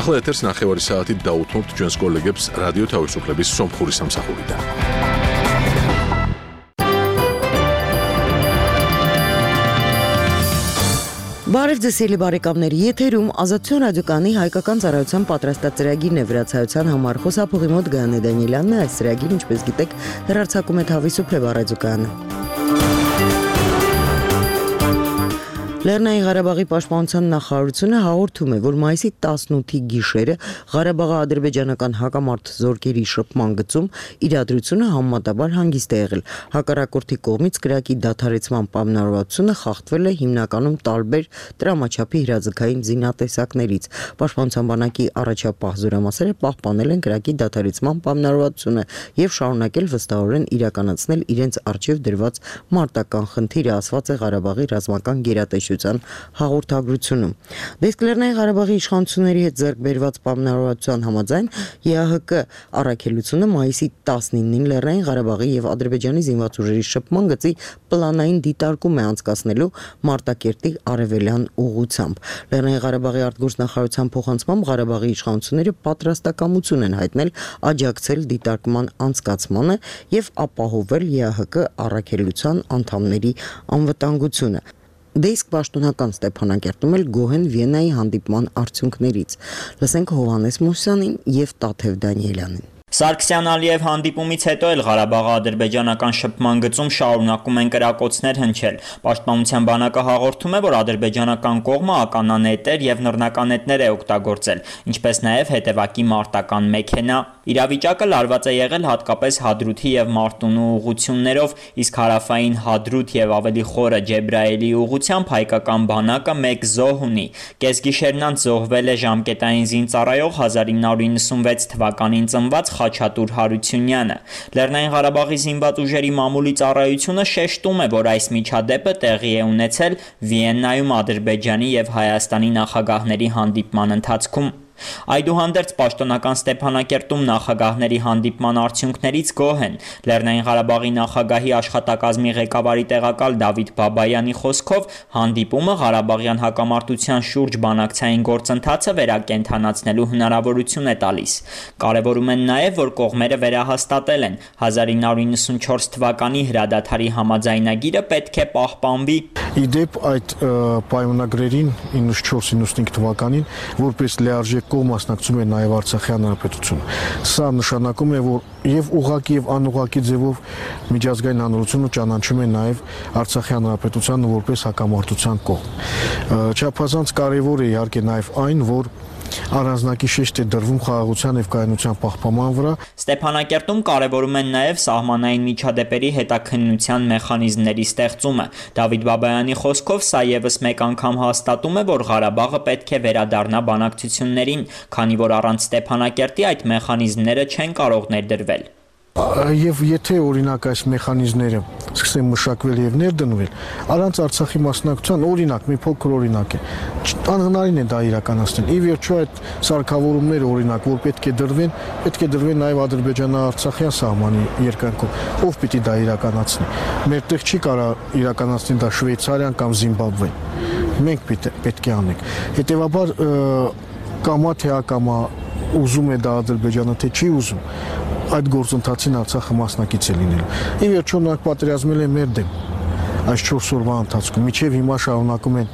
ახლა ეთერს ნახევარი საათით დაუთმობთ ჩვენს კოლეგებს რადიო თავისუფლების სომხური სამსახურიდან. Բարև ձեզ սիրելի բարեկամներ, եթերում Ազատություն ռադիոկայանի հայկական ծառայության պատրաստած ծրագիրն է վրացայության համար խոսափողի մոտ Գայանե Դանիելյանն է, այս ծրագիրը ինչպես գիտեք հեռարձակում է Თავისუფლება ռադիոկայանը։ Լեռնային Ղարաբաղի պաշտպանության նախարարությունը հաղորդում է, որ մայիսի 18-ի գիշերը Ղարաբաղի ադրբեջանական հակամարտ զորքերի շփման գծում իրադրությունը համեմատաբար հանգիստ է եղել։ Հակառակորդի կողմից կրակի դադարեցման պայմանավորվածությունը խախտվել է հիմնականում տարբեր տրամաչափի հրաձգային զինատեսակներից։ Պաշտպանության բանակի առաջապահ զորամասերը պահպանել են կրակի դադարեցման պայմանավորվածությունը եւ շարունակել վստահորեն իրականացնել իրենց առջեւ դրված մարտական խնդիրը, ասված է Ղարաբաղի ռազմական գերատեսչության հաղորդագրությունում։ Դեսկ Լեռնային Ղարաբաղի իշխանությունների հետ ձեռք բերված պայմանավորվածության համաձայն ԵԱՀԿ առաքելությունը մայիսի 19-ին Լեռնային Ղարաբաղի եւ Ադրբեջանի զինված ուժերի շփման գծի պլանային դիտարկում է անցկացնելու Մարտակերտի արևելյան ուղղությամբ։ Լեռնային Ղարաբաղի արտգործնախարարության փոխանցմամբ Ղարաբաղի իշխանությունները պատրաստակամություն են հայտնել աջակցել դիտարկման անցկացմանը եւ ապահովել ԵԱՀԿ առաքելության անդամների անվտանգությունը։ Դեսկ պաշտոնական Ստեփանակերտում էլ գոհ են Վիեննայի հանդիպման արդյունքներից։ Լսենք Հովհաննես Մուսյանին եւ Տաթև Դանիելյանին։ Սարգսյան-Ալիև հանդիպումից հետո էլ Ղարաբաղի ադրբեջանական շփման գծում շարունակում են կրակոցներ հնչել։ Պաշտպանության բանակը հաղորդում է, որ ադրբեջանական կողմը ականանետեր եւ նռնականետներ է օգտագործել, ինչպես նաեւ հետևակի մարտական մեքենա։ Իրավիճակը լարված է եղել հատկապես Հադրութի եւ Մարտունու ուղղություններով, իսկ հարավային Հադրութ եւ ավելի խորը Ջեբրայելի ուղղությամբ հայկական բանակը 1 զոհ ունի։ Կեսգիշերն անց զոհվել է ժամկետային զինծառայող 1996 թվականին ծնված Խաչատուր Հարությունյանը։ Լեռնային Ղարաբաղի զինված ուժերի մամուլի ծառայությունը շեշտում է, որ այս միջադեպը տեղի է ունեցել Վիեննայում Ադրբեջանի եւ Հայաստանի նախագահների հանդիպման ընթացքում։ Այդուհանդերձ պաշտոնական Ստեփանակերտում նախագահների հանդիպման արդյունքներից գոհ են։ Լեռնային Ղարաբաղի նախագահի աշխատակազմի ղեկավարի տեղակալ Դավիթ Բաբայանի խոսքով հանդիպումը Ղարաբաղյան հակամարտության շուրջ բանակցային գործընթացը վերակենդանացնելու հնարավորություն է տալիս։ Կարևորում են նաև, որ կողմերը վերահաստատել են 1994 թվականի հրադադարի համաձայնագիրը պետք է պահպանվի։ Իդեպ այդ պայմանագրերին 94-95 թվականին որպես լիարժեք կողմ մասնակցում է նաև Արցախյան հանրապետությունը։ Սա նշանակում է, որ եւ ուղղակի եւ անուղղակի ձևով միջազգային հանրությունը ճանաչում է նաև Արցախյան հանրապետությանը որպես հակամարտության կողմ։ Չափազանց կարևոր է իհարկե նաև այն, որ առանձնակի շեշտ է դրվում խաղաղության եւ կայունության պահպանման վրա։ Ստեփանակերտում կարևորում են նաև սահմանային միջադեպերի հետաքննության մեխանիզմների ստեղծումը։ Դավիթ Բաբայանի խոսքով սա եւս մեկ անգամ հաստատում է, որ Ղարաբաղը պետք է վերադառնա բանակցություններին, քանի որ առանց Ստեփանակերտի այդ մեխանիզմները չեն կարող ներդրվել։ Եվ եթե օրինակ այս մեխանիզմները սկսեն մշակվել եւ ներդնվել, առանց Արցախի մասնակցության օրինակ, մի փոքր օրինակ է, անհնարին է դա իրականացնել։ Ի վերջո այդ սարքավորումները օրինակ, որ պետք է դրվեն նաեւ Ադրբեջանա-Արցախյան սահմանի երկայնքով, ով պիտի դա իրականացնի։ Մերտեղ չի կարող իրականացնել դա Շվեյցարիան կամ Զիմբաբվեն։ Մենք պետք է անենք։ Հետևաբար կամա թե ակամա ուզում է դա Ադրբեջանը թե չի ուզում, այդ գործընթացին Արցախը մասնակից է լինելու։ Ի վերջո նրանք պատերազմել են մեր դեմ այս 4 օրվա ընթացքում, մինչև հիմա շարունակում են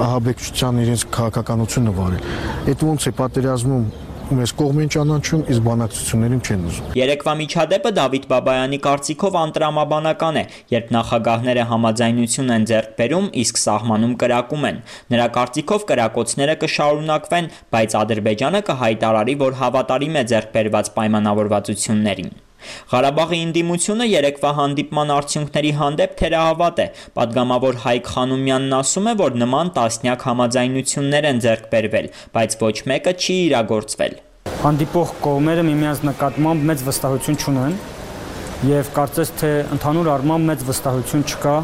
ահաբեկչության իրենց քաղաքականությունը վարել։ Այդ ոնց է պատերազմում մեզ կողմ են ճանաչում, իսկ բանակցություններին չեն ուզում։ Երեկվա միջադեպը Դավիթ Բաբայանի կարծիքով անտրամաբանական է, երբ նախագահները համաձայնություն են ձեռք բերում, իսկ սահմանում կրակում են։ Նրա կարծիքով կրակոցները կշարունակվեն, բայց Ադրբեջանը կհայտարարի, որ հավատարիմ է ձեռք բերված պայմանավորվածություններին։ Ղարաբաղի ընդդիմությունը երեկվա հանդիպման արդյունքների հանդեպ թերահավատ է։ Պատգամավոր Հայկ Խանոմյանն ասում է, որ նման տասնյակ համաձայնություններ են ձեռք բերվել, բայց ոչ մեկը չի իրագործվել։ Հանդիպող կողմերը միմյանց նկատմամբ մեծ վստահություն չունեն եւ կարծես թե ընդհանուր առմամբ մեծ վստահություն չկա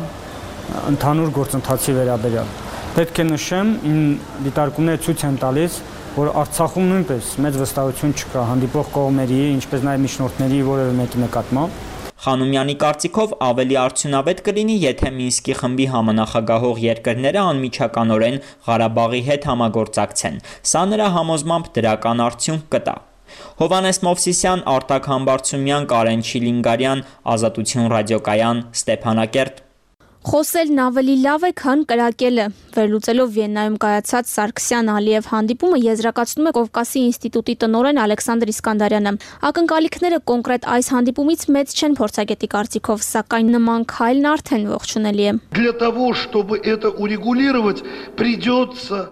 ընդհանուր գործընթացի վերաբերյալ։ Պետք է նշեմ, դիտարկումները ցույց են տալիս, որ Արցախում նույնպես մեծ վստահություն չկա հանդիպող կողմերի, ինչպես նաև միջնորդների որևէ մեկի նկատմամբ։ Խանոմյանի կարծիքով ավելի արդյունավետ կլինի, եթե Մինսկի խմբի համանախագահող երկրները անմիջականորեն Ղարաբաղի հետ համագործակցեն։ Սա նրա համոզմամբ դրական արդյունք կտա։ Հովհաննես Մովսիսյան, Արտակ Համբարձումյան, Կարեն Չիլինգարյան, Ազատություն ռադիոկայան, Ստեփանակերտ։ Խոսելն ավելի լավ է, քան կրակելը։ Վերլուծելով Վիեննայում կայացած Սարգսյան-Ալիև հանդիպումը եզրակացնում է Կովկասի ինստիտուտի տնօրեն Ալեքսանդր Իսկանդարյանը։ Ակնկալիքները կոնկրետ այս հանդիպումից մեծ չեն փորձագետի կարծիքով, սակայն նման քայլն արդեն ողջունելի է։ Для того, чтобы это урегулировать, придется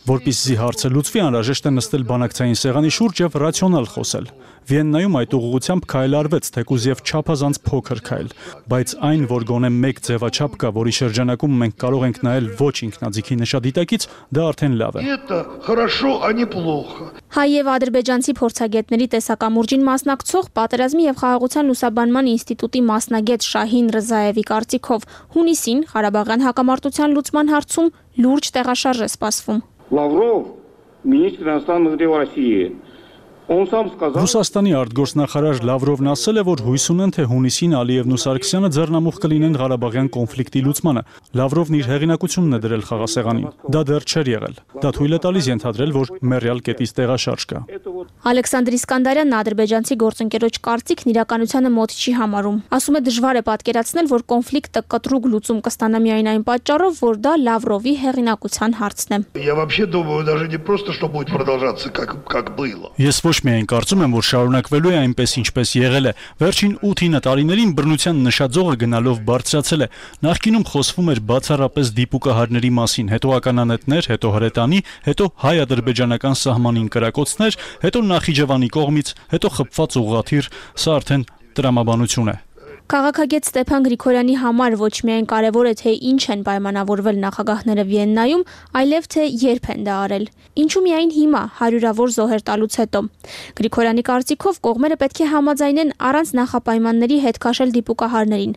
Որպեսզի հարցը լուծվի, անհրաժեշտ է նստել բանակցային սեղանի շուրջ եւ ռացիոնալ խոսել։ Վիեննայում այդ ուղղությամբ քայլ արվեց, թեկուզ եւ չափազանց փոքր քայլ, բայց այն, որ գոնե մեկ ձևաչափ կա, որի շրջանակում մենք կարող ենք նայել ոչ ինքնաձիգի նշադիտակից, դա արդեն լավ է։ это хорошо, а не плохо. Հայ եւ ադրբեջանցի փորձագետների տեսակամուրջին մասնակցող Պատերազմի եւ խաղաղության լուսաբանման ինստիտուտի մասնագետ Շահին Ռզաևի կարծիքով հունիսին Ղարաբաղյան հակամարտության լուծման հարցում լուրջ տեղաշարժ է սպասվում։ Лавров, министр иностранных дел России, он сам сказал... Ռուսաստանի արտգործնախարար Լավրովն ասել է, որ հույս ունեն, թե հունիսին Ալիևն ու Սարգսյանը ձեռնամուխ կլինեն Ղարաբաղյան կոնֆլիկտի լուծմանը։ Լավրովն իր հեղինակությունն է դրել խաղասեղանին։ Դա դեռ չէր եղել։ Դա թույլ է տալիս ենթադրել, որ մեռյալ կետից տեղաշարժ կա։ Ալեքսանդր Իսկանդարյանն ադրբեջանցի գործընկերոջ կարծիքն իրականությանը մոտ չի համարում։ Ասում է դժվար է պատկերացնել, որ կոնֆլիկտը կտրուկ լուծում կստանա միայն այն պատճառով, որ դա Լավրովի հեղինակության հարցն է։ Я вообще думаю, даже не просто, что будет продолжаться, как было. Ես ոչ միայն կարծում եմ, որ շարունակվելու է այնպես, ինչպես եղել է։ Վերջին 8-9 տարիներին բռնության նշաձողը գնալով բարձրացել է։ Նախկինում խոսվում էր բացառապես դիպուկահարների մասին, հետո ականանետներ, հետո հրետանի, հետո հայ-ադրբեջանական սահմանին կրակոցներ, հետո Նախիջևանի կողմից, հետո խփված ուղղաթիռ, սա արդեն տրամաբանություն է։ Քաղաքագետ Ստեփան Գրիգորյանի համար ոչ միայն կարևոր է, թե ինչ են պայմանավորվել նախագահները Վիեննայում, այլև թե երբ են դա արել։ Ինչու միայն հիմա, հարյուրավոր զոհեր տալուց հետո։ Գրիգորյանի կարծիքով կողմերը պետք է համաձայնեն առանց նախապայմանների հետ քաշել դիպուկահարներին։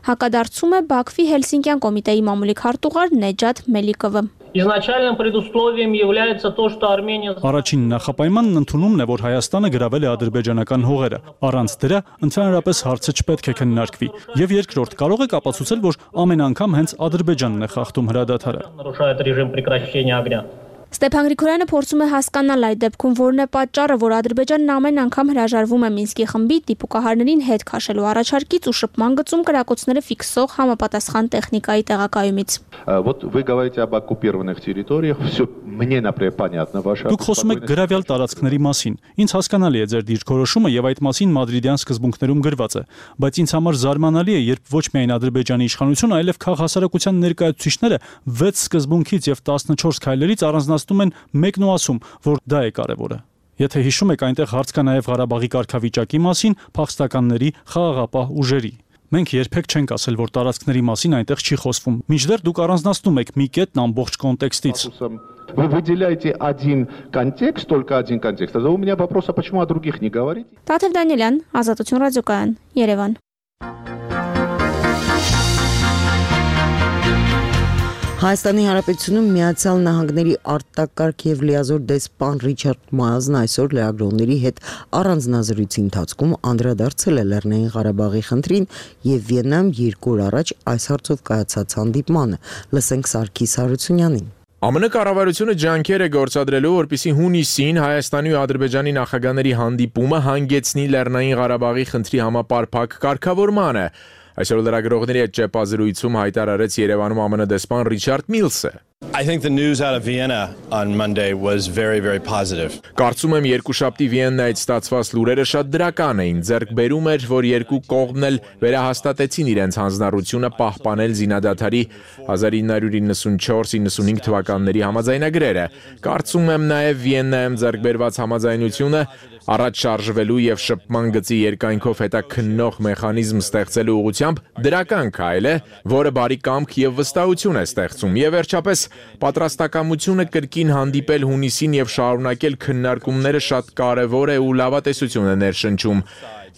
Հակադարձում է Բաքվի Հելսինկյան կոմիտեի մամուլի քարտուղար Նեջաթ Մելիկովը։ Изначальным предусловием является то, что Армения... Առաջին նախապայմանն ընդունումն է, որ Հայաստանը գրավել է ադրբեջանական հողերը։ Առանց դրա ընդհանրապես հարցը չպետք է քննարկվի։ Եվ երկրորդ կարող եք ապացուցել, որ ամեն անգամ հենց Ադրբեջանն է խախտում հրադադարը։ Нарушает режим прекращения огня. Ստեփան Գրիգորյանը փորձում է հասկանալ այդ դեպքում որն է պատճառը, որ Ադրբեջանն ամեն անգամ հրաժարվում է Մինսկի խմբի դիպուկահարներին հետ քաշելու առաջարկից ու շփման գծում կրակոցները ֆիքսող համապատասխան տեխնիկայի տեղակայումից։ Вот вы говорите об оккупированных территориях, все мне, например, понятно ваша. Դուք խոսում եք գրավյալ տարածքների մասին։ Ինձ հասկանալի է ձեր դիրքորոշումը եւ այդ մասին մադրիդյան սկզբունքներում գրված է, բայց ինձ համար զարմանալի է, երբ ոչ միայն Ադրբեջանի իշխանությունը, այլև քաղաքասարակության ներկայացուցիչները 6 սկզբունքից եւ 14 քայլերից առանձնացնում են մեկն ու ասում, որ դա է կարևորը։ Եթե հիշում եք, այնտեղ հարց կա նաեւ Ղարաբաղի կարգավիճակի մասին, փախստականների, խաղաղապահ ուժերի։ Մենք երբեք չենք ասել, որ տարածքների մասին այնտեղ չի խոսվում։ Մինչդեռ դուք առանձնացնում եք մի կետն ամբողջ կոնտեքստից։ Вы выделяете один контекст, только один контекст. Тогда у меня вопрос, а почему о других не говорите? Տաթև Դանիելյան, Ազատություն ռադիոկայան, Երևան։ Հայաստանի Հանրապետությունում Միացյալ Նահանգների արտակարգ եւ լիազոր դեսպան Ռիչարդ Մայլզն այսօր լրագրողների հետ առանձնազրույցի ընթացքում անդրադարձել է Լեռնային Ղարաբաղի խնդրին եւ Վիեննայում 2 օր առաջ այս հարցով կայացած հանդիպմանը։ Լսենք Սարգիս Հարությունյանին։ ԱՄՆ կառավարությունը ջանքեր է գործադրելու, որպեսզի հունիսին Հայաստանի ու Ադրբեջանի նախագահների հանդիպումը հանգեցնի Լեռնային Ղարաբաղի խնդրի համապարփակ կարգավորմանը։ Այսօր լրագրողների հետ ճեպազրույցում հայտարարեց Երևանում ԱՄՆ դեսպան Ռիչարդ Միլսը։ I think the news out of Vienna on Monday was very, very positive. Կարծում եմ երկուշաբթի Վիեննայից ստացված լուրերը շատ դրական էին։ Ձեռք բերում էր, որ երկու կողմն էլ վերահաստատեցին իրենց հանձնառությունը պահպանել զինադադարի 1994-95 թվականների համաձայնագրերը։ Կարծում եմ նաև Վիեննայում ձեռք բերված համաձայնությունը առաջ շարժվելու եւ շփման գծի երկայնքով հետաքննող մեխանիզմ ստեղծելու ուղղությամբ դրական քայլ է, որը բարի կամք եւ վստահություն է ստեղծում։ Եվ վերջապես պատրաստակամությունը կրկին հանդիպել հունիսին եւ շարունակել քննարկումները շատ կարեւոր է ու լավատեսություն է ներշնչում։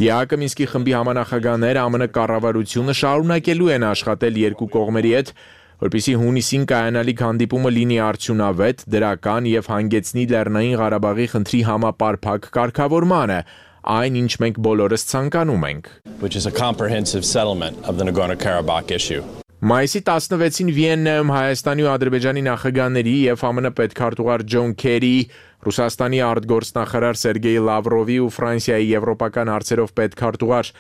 ԵԱՀԿ Մինսկի խմբի համանախագահները ԱՄՆ կառավարությունը շարունակելու են աշխատել երկու կողմերի հետ, որպեսզի հունիսին կայանալիք հանդիպումը լինի արդյունավետ, դրական եւ հանգեցնի Լեռնային Ղարաբաղի խնդրի համապարփակ կարգավորմանը, այն, ինչ մենք բոլորս ցանկանում ենք։ Which is a comprehensive settlement of the Nagorno-Karabakh issue. Մայիսի 16-ին Վիեննայում Հայաստանի ու Ադրբեջանի նախագահների եւ ԱՄՆ պետքարտուղար Ջոն Քերի, Ռուսաստանի արտգործնախարար Սերգեյ Լավրովի ու Ֆրանսիայի եվրոպական հարցերով պետքարտուղար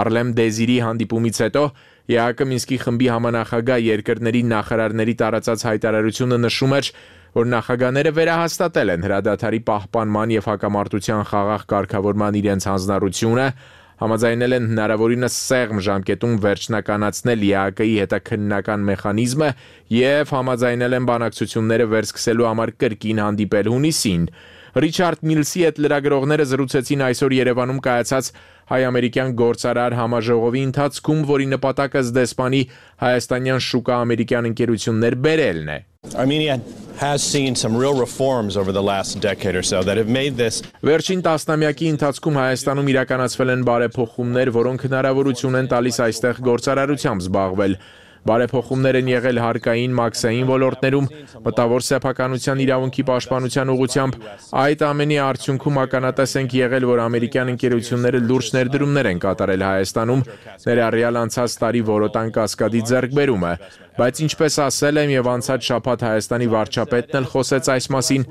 Արլեմ Դեզիրի հանդիպումից հետո ԵԱԿ Մինսկի խմբի համանախագահ երկրների նախարարների տարածած հայտարարությունը նշում էր, որ նախագահները վերահաստատել են հրադադարի պահպանման եւ հակամարտության խաղաղ կարգավորման իրենց հանձնառությունը, համաձայնել են հնարավորինս սեղմ ժամկետում վերջնականացնել ԵԱԿ-ի հետաքննական մեխանիզմը եւ համաձայնել են բանակցությունները վերսկսելու համար կրկին հանդիպել հունիսին։ Ռիչարդ Միլսի հետ լրագրողները զրուցեցին այսօր Երևանում կայացած հայ-ամերիկյան գործարար համաժողովի ընթացքում, որի նպատակը զդեսպանի հայաստանյան շուկա ամերիկյան ընկերություններ բերելն է։ Armenia has seen some real reforms over the last decade or so that have made this. Վերջին տասնամյակի ընթացքում Հայաստանում իրականացվել են բարեփոխումներ, որոնք հնարավորություն են տալիս այստեղ գործարարությամբ զբաղվել։ Բարեփոխումներ են եղել հարկային, մաքսային ոլորտներում, մտավոր սեփականության իրավունքի պաշտպանության ուղղությամբ։ Այդ ամենի արդյունքում ականատես ենք եղել, որ ամերիկյան ընկերությունները լուրջ ներդրումներ են կատարել Հայաստանում, ներառյալ անցած տարի Որոտան կասկադի ձեռքբերումը։ Բայց ինչպես ասել եմ եւ անցած շաբաթ Հայաստանի վարչապետն էլ խոսեց այս մասին,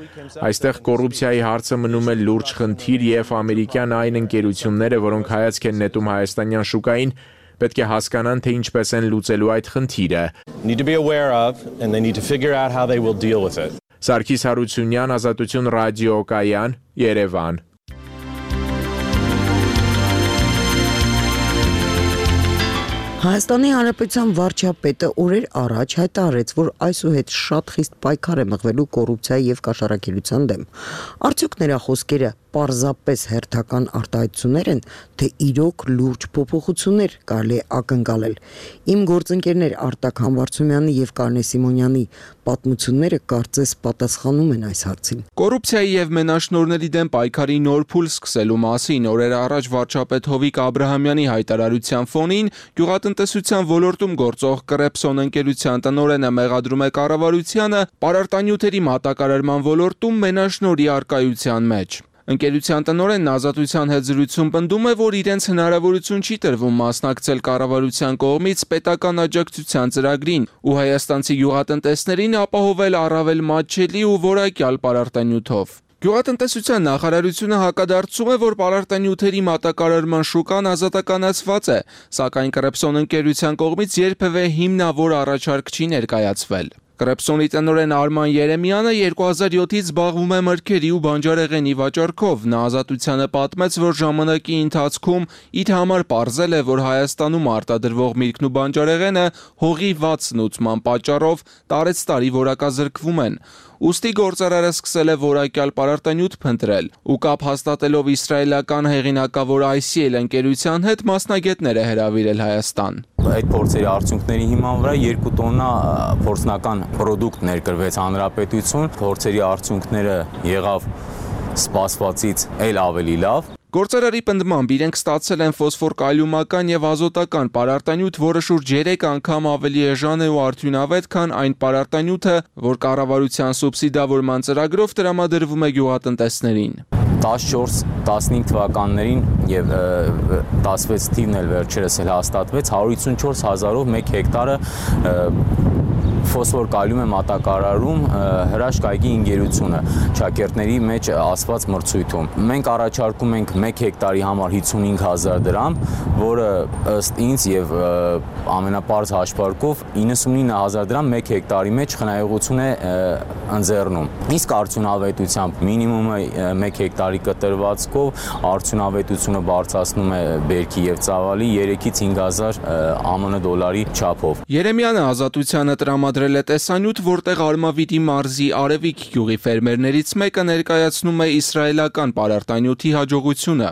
այստեղ կոռուպցիայի հարցը մնում է լուրջ խնդիր եւ ամերիկյան այն ընկերությունները, որոնք հայացք են նետում հայաստանյան շուկային, պետք է հասկանան, թե ինչպես են լուծելու այդ խնդիրը։ Need to be aware of and they need to figure out how they will deal with it. Սարգիս Հարությունյան, Ազատություն ռադիոկայան, Երևան։ Հայաստանի Հանրապետության վարչապետը օրեր առաջ հայտարարեց, որ այսուհետ շատ խիստ պայքար է մղվելու կոռուպցիայի եւ կաշառակերության դեմ։ Արդյոք նրա խոսքերը պարզապես հերթական արտահայտություններ են, թե իրոք լուրջ փոփոխություններ կարելի է ակնկալել։ Իմ գործընկերներ Արտակ Համբարձումյանի եւ Կարնե Սիմոնյանի պատմությունները կարծես պատասխանում են այս հարցին։ Կոռուպցիայի եւ մենաշնորհների դեմ պայքարի նոր փուլ սկսելու մասին օրեր առաջ վարչապետ Հովիկ Աբրահամյանի հայտարարության ֆոնին գյուղատնտեսության ոլորտում գործող Կրեպսոն ընկերության տնօրենը մեղադրում է կառավարությանը պարարտանյութերի մատակարարման ոլորտում մենաշնորհի արկայության մեջ։ Ընկերության տնօրենն Ազատության հետ զրույցում պնդում է, որ իրենց հնարավորություն չի տրվում մասնակցել կառավարության կողմից պետական աջակցության ծրագրին ու հայաստանցի գյուղատնտեսներին ապահովել առավել մատչելի ու որակյալ պարարտանյութով։ Գյուղատնտեսության նախարարությունը հակադարձում է, որ պարարտանյութերի մատակարարման շուկան ազատականացված է, սակայն Կրեպսոն ընկերության կողմից երբևէ հիմնավոր առաջարկ չի ներկայացվել։ Կրեպսոնի տնօրեն Արման Երեմյանը 2007-ից զբաղվում է մրգերի ու բանջարեղենի վաճառքով։ Նա Ազատությանը պատմեց, որ ժամանակի ընթացքում իր համար պարզել է, որ Հայաստանում արտադրվող միրգն ու բանջարեղենը հողի վատ սնուցման պատճառով տարեցտարի որակազրկվում են։ Ուստի գործարարը սկսել է որակյալ պարարտանյութ փնտրել ու կապ հաստատելով իսրայելական հեղինակավոր ICL ընկերության հետ մասնագետներ է հրավիրել Հայաստան։ Այդ փորձերի արդյունքների հիման վրա 2 տոննա փորձնական պրոդուկտ ներկրվեց հանրապետություն, փորձերի արդյունքները եղավ սպասվածից էլ ավելի լավ։ Գործարարի պնդմամբ իրենք ստացել են ֆոսֆոր-կալիումական եւ ազոտական պարարտանյութ, որը շուրջ 3 անգամ ավելի էժան է ու արդյունավետ, քան այն պարարտանյութը, որ կառավարության սուբսիդավորման ծրագրով տրամադրվում է գյուղատնտեսներին։ 14-15 թվականներին եւ 16 թիվն էլ վերջերս էլ հաստատվեց 154,000-ով 1 հեկտարը ֆոսֆոր կալիում է մատակարարում հրաշքայգի ընկերությունը շակերտների մեջ ասված մրցույթում։ Մենք առաջարկում ենք 1 հեկտարի համար 55,000 դրամ, որը ըստ ինձ եւ ամենապարզ հաշվարկով 99,000 դրամ 1 հեկտարի մեջ խնայողություն է ընձեռնում։ Իսկ արդյունավետությամբ մինիմումը 1 հեկտարի կտրվածքով արդյունավետությունը բարձրացնում է բերքի եւ ծավալի 3-ից 5,000 ԱՄՆ դոլարի չափով։ Երեմյանը Ազատությանը տրամադրել է տեսանյութ, որտեղ Արմավիրի մարզի Արևիկ գյուղի ֆերմերներից մեկը ներկայացնում է իսրայելական պարարտանյութի հաջողությունը։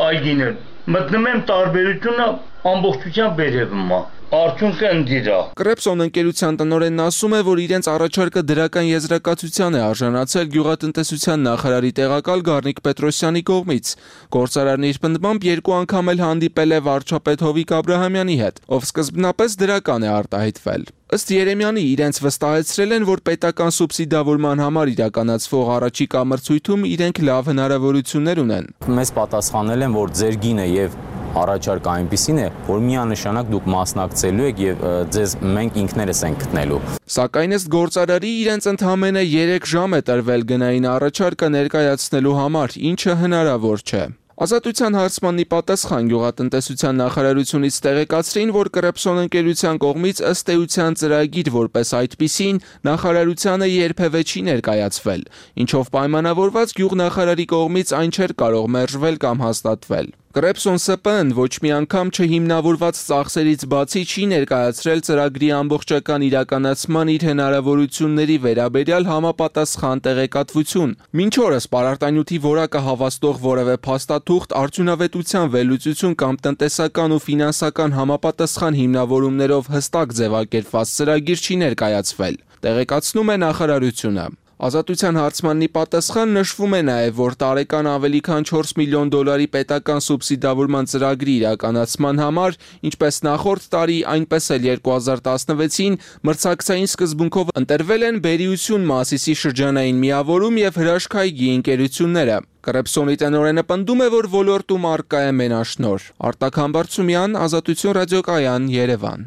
Այգիներ մտնում եմ տարբերությունը ամբողջությամբ բերևում է։ արդյունքը ընդդիրա։ Կրեպսոն ընկերության տնօրենն ասում է, որ իրենց առաջարկը դրական եզրակացության է արժանացել գյուղատնտեսության նախարարի տեղակալ Գառնիկ Պետրոսյանի կողմից։ Գործարարն իր պնդմամբ 2 անգամ էլ հանդիպել է վարչապետ Հովիկ Աբրահամյանի հետ, ով սկզբնապես դրական է արտահայտվել։ Ըստ Երեմյանի իրենց վստահեցրել են, որ պետական սուբսիդավորման համար իրականացվող առաջիկա մրցույթում իրենք լավ հնարավորություններ ունեն։ Մեզ պատասխանել են, որ ձեր գինը եւ առաջարկը այնպիսին է, որ միանշանակ դուք մասնակցելու եք եւ ձեզ մենք ինքներս ենք գտնելու։ Սակայն ըստ գործարարի իրենց ընդամենը 3 ժամ է տրվել գնային առաջարկը ներկայացնելու համար, ինչը հնարավոր չէ։ Ազատության հարցմանի պատասխան գյուղատնտեսության նախարարությունից տեղեկացրին, որ Կրեպսոն ընկերության կողմից ըստ էության ծրագիր որպես այդպիսին նախարարությանը երբևէ չի ներկայացվել, ինչով պայմանավորված գյուղնախարարի կողմից այն չէր կարող մերժվել կամ հաստատվել։ Կրեպսոն ՍՊԸ-ն ոչ մի անգամ չհիմնավորված ծախսերից բացի չի ներկայացրել ծրագրի ամբողջական իրականացման իր հնարավորությունների վերաբերյալ համապատասխան տեղեկատվություն։ Մինչ օրս պարարտանյութի որակը հավաստող որևէ փաստաթուղթ, արդյունավետության վերլուծություն կամ տնտեսական ու ֆինանսական համապատասխան հիմնավորումներով հստակ ձևակերպված ծրագիր չի ներկայացվել, տեղեկացնում է նախարարությունը։ Ազատության հարցմանի պատասխան նշվում է նաև, որ տարեկան ավելի քան $4 միլիոն պետական սուբսիդավորման ծրագրի իրականացման համար, ինչպես նախորդ տարի, այնպես էլ 2016-ին մրցակցային սկզբունքով ընտրվել են Բերիություն Մասիսի շրջանային միավորում եւ հրաշքայգի ընկերությունները։ Կրեպսոնի տնօրենը պնդում է, որ ոլորտում առկա է մենաշնորհ։ Արտակ Համբարձումյան, Ազատություն ռադիոկայան, Երևան։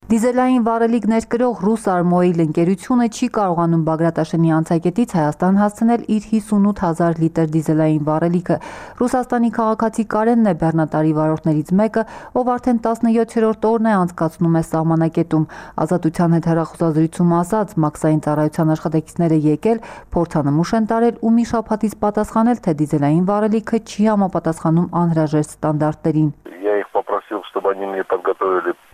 Դիզելային վառելիք ներկրող «Ռուսարմոիլ» ընկերությունը չի կարողանում Բագրատաշենի անցակետից Հայաստան հասցնել իր 58,000 լիտր դիզելային վառելիքը։ Ռուսաստանի քաղաքացի Կարենն է բեռնատարի վարորդներից մեկը, ով արդեն 17-րդ օրն է անցկացնում է սահմանակետում։ Ազատության հետ հեռախոսազրույցում ասաց, մաքսային ծառայության աշխատակիցները եկել, փորձանմուշ են տարել ու մի շաբաթից պատասխանել, թե դիզելային վառելիքը չի համապատասխանում անհրաժեշտ ստանդարտներին։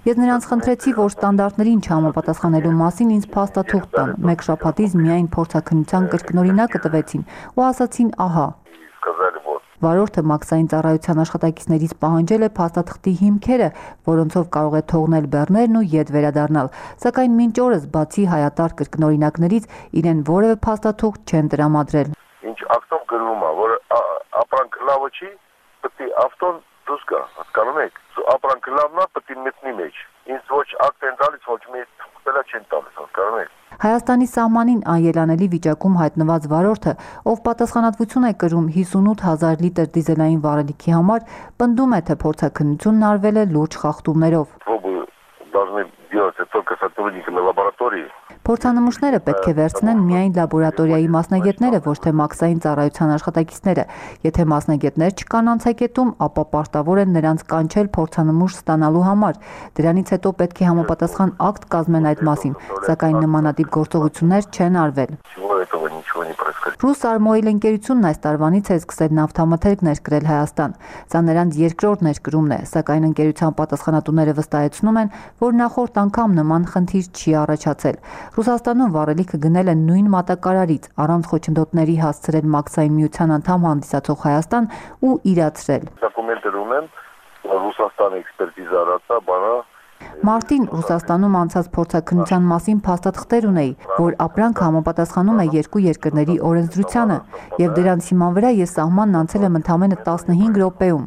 Ես նրանց խնդրեցի, որ ստանդարտներին չհամապատասխանելու մասին ինձ փաստաթուղթ տան։ Մեկ շաբաթից միայն փորձաքննության կրկնօրինակը տվեցին ու ասացին՝ ահա։ Վարորդը մաքսային ծառայության աշխատակիցներից պահանջել է փաստաթղթի հիմքերը, որոնցով կարող է թողնել բեռներն ու ետ վերադառնալ։ Սակայն մինչ օրս, բացի հայատար կրկնօրինակներից, իրեն որևէ փաստաթուղթ չեն տրամադրել։ Ինչ ակտով գրվում է, որ ապրանք լավը չի, պետք է ավտոն դուրս գա, հասկանում եք։ Ապրանքը լավն է, պետք է մտնի մեջ։ Ինձ ոչ ակտ են տալիս, ոչ մի թղթ չեն տալիս, հասկանում եք։ Հայաստանի սահմանին անելանելի վիճակում հայտնված վարորդը, ով պատասխանատվություն է կրում 58,000 լիտր դիզելային վառելիքի համար, պնդում է, թե փորձաքննությունն արվել է լուրջ խախտումներով։ Փորձանմուշները պետք է վերցնեն միայն լաբորատորիայի մասնագետները, ոչ թե մաքսային ծառայության աշխատակիցները։ Եթե մասնագետներ չկան անցակետում, ապա պարտավոր են նրանց կանչել փորձանմուշ ստանալու համար։ Դրանից հետո պետք է համապատասխան ակտ կազմեն այդ մասին, սակայն նմանատիպ գործողություններ չեն արվել։ «Ռուսարմոիլ» ընկերությունն այս տարվանից է սկսել նավթամթերք ներկրել Հայաստան։ Սա նրանց երկրորդ ներկրումն է, սակայն ընկերության պատասխանատուները վստահեցնում են, որ նախորդ անգամ նման խնդիր չի առաջացել։ Ռուսաստանում վառելիքը գնել են նույն մատակարարից, առանց խոչընդոտների հասցրել մաքսային միության անդամ հանդիսացող Հայաստան ու իրացրել։ Դոկումենտներ ունեն, Ռուսաստանի էքսպերտիզա արածա, բանա Մարտին Ռուսաստանում անցած փորձաքննության մասին փաստաթղթեր ունեի, որ ապրանքը համապատասխանում է երկու երկրների օրենսդրությանը, եւ դրանց հիման վրա ես սահմանն անցել եմ ընդամենը 15 րոպեում։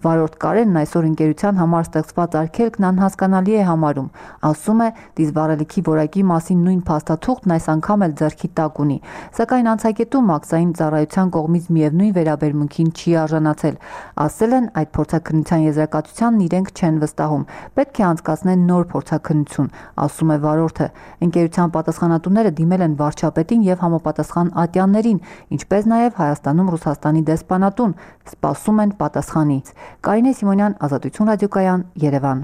Վարորդ Կարենն այսօր ընկերության համար ստեղծված արգելքն անհասկանալի է համարում։ Ասում է, դիզվառելիքի որակի մասին նույն փաստաթուղթն այս անգամ էլ ձեռքի տակ ունի, սակայն անցակետում մաքսային ծառայության կողմից միևնույն վերաբերմունքին չի արժանացել։ Ասել են, այդ փորձաքննության եզրակացությանն իրենք չեն վստահում։ Պետք է անցկացնեն նոր փորձաքննություն, ասում է վարորդը։ Ընկերության պատասխանատուները դիմել են վարչապետին եւ համապատասխան ատյաններին, ինչպես նաեւ Հայաստանում Ռուսաստանի դեսպանատուն, սպասում են պատասխանից։ Կարինե Սիմոնյան, Ազատություն ռադիոկայան, Երևան։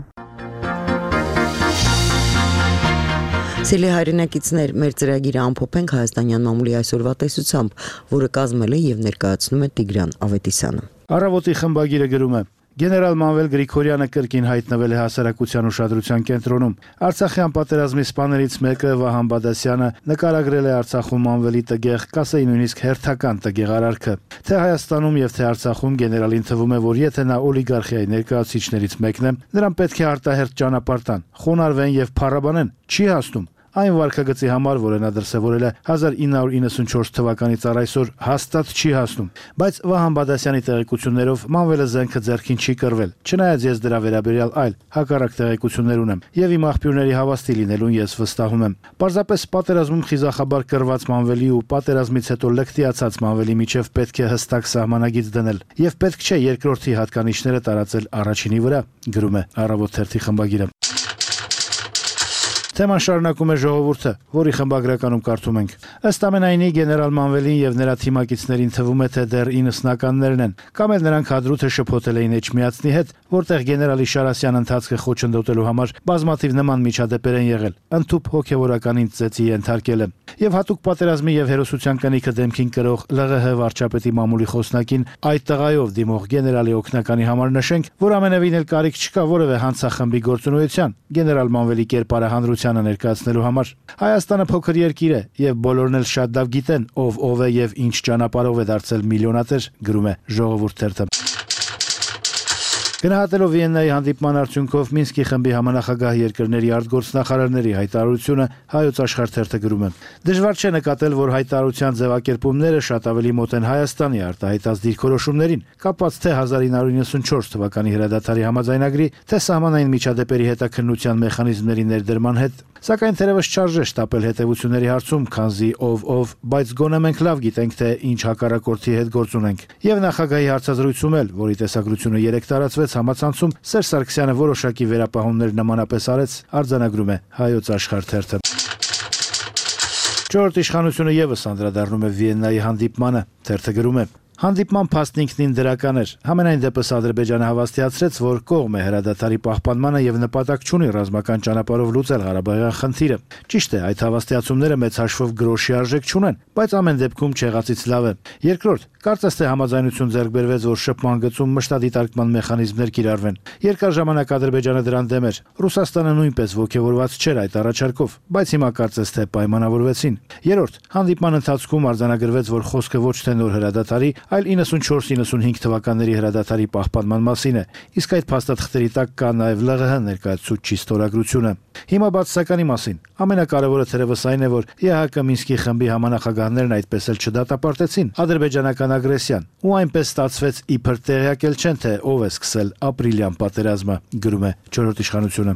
Սիրելի հայրենակիցներ, մեր ծրագիրը ամփոփենք հայաստանյան մամուլի այսօրվա տեսությամբ, որը կազմել է եւ ներկայացնում է Տիգրան Ավետիսյանը։ Առավոտի խմբագիրը գրում է. Գեներալ Մանվել Գրիգորյանը կրկին հայտնվել է հասարակության ուշադրության կենտրոնում։ Արցախյան պատերազմի սպաներից մեկը Վահան Բադասյանը նկարագրել է Արցախում Մանվելի տգեղ, կասեի նույնիսկ հերթական տգեղ արարքը։ Թե Հայաստանում եւ թե Արցախում գեներալին թվում է, որ եթե նա օլիգարխիայի ներկայացուցիչներից մեկն է, նրան պետք է արտահերթ ճանապարհ տան, խոնարհվեն եւ փառաբանեն։ Չի հասնում։ Այն վարկագծի համար, որը նա դրսևորել է 1994 թվականից առ այսօր, հաստատ չի հասնում։ Բայց Վահան Բադասյանի տեղեկություններով Մանվելը զենքը ձեռքին չի կռվել, չնայած ես դրա վերաբերյալ այլ հակառակ տեղեկություններ ունեմ, եւ իմ աղբյուրների հավաստի լինելուն ես վստահում եմ։ Պարզապես պատերազմում խիզախաբար կռված Մանվելի ու պատերազմից հետո լկտիացած Մանվելի միջև պետք է հստակ սահմանագիծ դնել, եւ պետք չէ երկրորդի հատկանիշները տարածել առաջինի վրա, գրում է Առավոտ թերթի խմբագիրը։ Թեման շարունակում է ժողովուրդը, որի խմբագրականում կարդում ենք. Ըստ ամենայնի գեներալ Մանվելին եւ նրա թիմակիցներին թվում է, թե դեռ 90-ականներն են, կամ էլ նրանք հադրութը շփոթել էին Էջմիածնի հետ, որտեղ գեներալի Շարասյան ընթացքը խոչընդոտելու համար բազմաթիվ նման միջադեպեր են եղել, ընդཐུպ հոգեվորական ինձեցի ենթարկել է։ Եվ հատուկ պատերազմի եւ հերոսության կնիքը դեմքին կրող ԼՂՀ վարչապետի մամուլի խոսնակին այդ տղայով դիմող գեներալի օգնականի համար նշենք, որ ամենևին էլ կարիք չկա որևէ հանցախմբի գործունեության գեներալ Մանվելի կերպարը հանրությանը ներկայացնելու համար։ Հայաստանը փոքր երկիր է եւ բոլորն էլ շատ լավ գիտեն ով է եւ ինչ ճանապարհով է դարձել միլիոնատեր, գրում է Ժողովուրդ թերթը։ Գնահատելով Վիեննայի հանդիպման արդյունքով Մինսկի խմբի համանախագահ երկրների արտգործնախարարների հայտարարությունը Հայոց Աշխարհ թերթը գրում է. Դժվար չէ նկատել, որ հայտարարության ձևակերպումները շատ ավելի մոտ են Հայաստանի արտահայտած դիրքորոշումներին, կապված թե 1994 թվականի հրադադարի համաձայնագրի, թե սահմանային միջադեպերի հետաքննության մեխանիզմների ներդրման հետ, սակայն թերևս չարժե շտապել հետևությունների հարցում, քանզի ով, բայց գոնե մենք լավ գիտենք, թե ինչ հակառակորդի հետ գործ ունենք։ Եվ նախագահի հարցազրույցում էլ, որի տեսագրությունը 3 տարածվեց համացանցում, Սերժ Սարգսյանը որոշակի վերապահումներ նմանապես արեց, արձանագրում է Հայոց Աշխարհ թերթը։ Չորրորդ իշխանությունը եւս անդրադառնում է Վիեննայի հանդիպմանը, թերթը գրում է. Հանդիպման փաստն ինքնին դրական էր։ Համենայն դեպս Ադրբեջանը հավաստիացրեց, որ կողմ է հրադադարի պահպանմանը եւ նպատակ չունի ռազմական ճանապարհով լուծել Ղարաբաղյան խնդիրը։ Ճիշտ է, այդ հավաստիացումները մեծ հաշվով գրոշի արժեք չունեն, բայց ամեն դեպքում չեղածից լավ է։ Երկրորդ, կարծես թե համաձայնություն ձեռք բերվեց, որ շփման գծում մշտադիտարկման մեխանիզմներ կիրառվեն։ Երկար ժամանակ Ադրբեջանը դրան դեմ էր։ Ռուսաստանը նույնպես ոգևորված չէր այդ առաջարկով, բայց հիմա կարծես թե պայմանավորվեցին։ Երրորդ, հանդիպման ընթացքում արձանագրվեց, որ խոսքը ոչ թե նոր հրադադարի, այլ 94-95 թվականների հրադադարի պահպանման մասին է, իսկ այդ փաստաթղթերի տակ կա նաև ԼՂՀ ներկայացուցչի ստորագրությունը։ Հիմա բացասականի մասին ամենակարևորը թերևս այն է, որ ԵՀԿ Մինսկի խմբի համանախագահներն այդպես էլ չդատապարտեցին ադրբեջանական ագրեսիան, ու այնպես ստացվեց իբր տեղյակել չեն, թե ով է սկսել ապրիլյան պատերազմը, գրում է Չորրորդ իշխանությունը։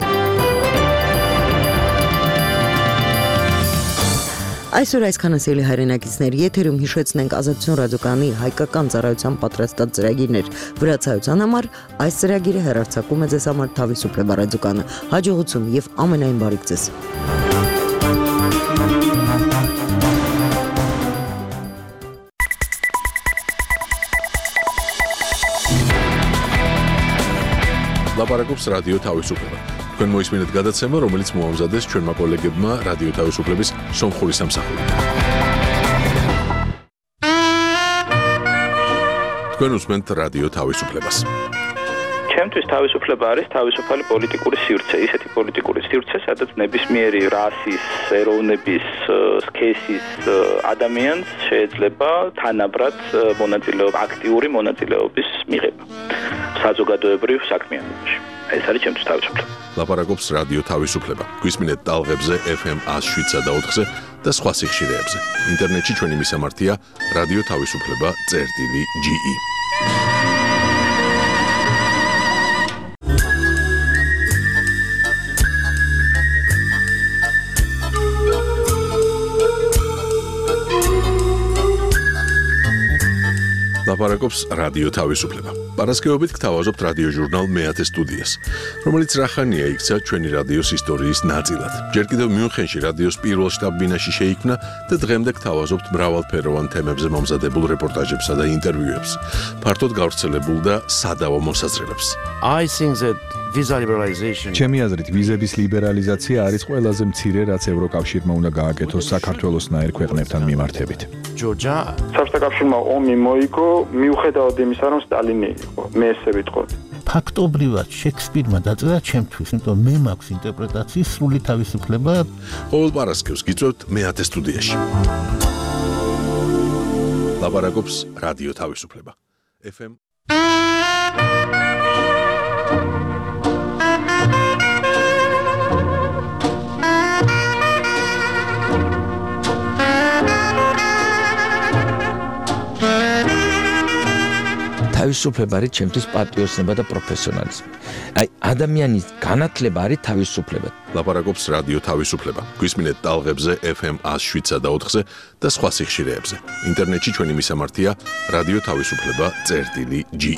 Այսօր այսքանը սիրելի հայրենակիցներ, եթերում հիշեցնենք Ազատություն ռադիոկայանի հայկական ծառայության պատրաստած ծրագիրներ։ Վրացայության համար այս ծրագիրը հեռարձակում է ձեզ համար Թավիսուպլե ռադիոկայանը։ Հաջողություն եւ ամենայն բարիք ձեզ։ Լապարակոպս ռադիո Թավիսուպլե։ Քան մոյսմինդ գադացեմը, რომელიც մոհամզադես չորմա կոլեգեբմա ռադիո Թավիսուպլեբիս Սոմխորի Սամսախովի։ Քան ուսմենտ ռադիո Թավիսուպլեբաս։ Ჩემთვის თავისუფლება არის თავისუფალი პოლიტიკური სივრცე, ისეთი პოლიტიკური სივრცე, სადაც ნებისმიერი რასის, ეროვნების, სქესის ადამიანს შეიძლება თანაბრად მონაწილეობა, აქტიური მონაწილეობის მიღება საზოგადოებრივ საქმიანობაში. ეს არის ჩემთვის თავისუფლება. ლაპარაკობს რადიო თავისუფლება. გვისმინეთ ტალღებზე FM 107.4-ზე და სხვა სიხშირეებზე. ინტერნეტში ჩვენი მისამართია რადიო თავისუფლება.ge. ლაპარაკობს რადიო თავისუფლება. Პარასკევობით გთავაზობთ რადიო ჟურნალ მეათე სტუდიას, რომელიც რახანია იქცა ჩვენი რადიოს ისტორიის ნაწილად. ჯერ კიდევ მიუნხენში რადიოს პირველ შტაბ-ბინაში შეიქმნა და დღემდე გთავაზობთ მრავალფეროვან თემებზე მომზადებულ რეპორტაჟებსა და ინტერვიუებს, ფართოდ გავრცელებულ და სადავო მოსაზრებებს. I think that visa liberalization. Ჩემი აზრით, ვიზების ლიბერალიზაცია არის ყველაზე მცირე, რაც ევროკავშირმა უნდა გააკეთოს საქართველოსნაირ ქვეყნებთან მიმართებით. Georgia. საბჭოთა ომი მოიგო მიუხედავად იმისა, რომ სტალინი იყო. მე ესე ვიტყოდი. ფაქტობრივად შექსპირმა დაწერა ჩემთვის, იმიტომ მე მაქვს ინტერპრეტაციის სრული თავისუფლება. ყოველ პარასკევს გიწევთ მეათე სტუდიაში. ლაპარაკობს რადიო თავისუფლება. FM თავისუფლება არის ჩემთვის პატრიოტიზმი და პროფესიონალიზმი. აი ადამიანის განათლება არის თავისუფლება. ლაპარაკობს რადიო თავისუფლება. გვისმინეთ ტალღებზე FM 107 და 4-ზე და სხვა სიხშირეებზე. ინტერნეტში ჩვენი მისამართია რადიო თავისუფლება.ge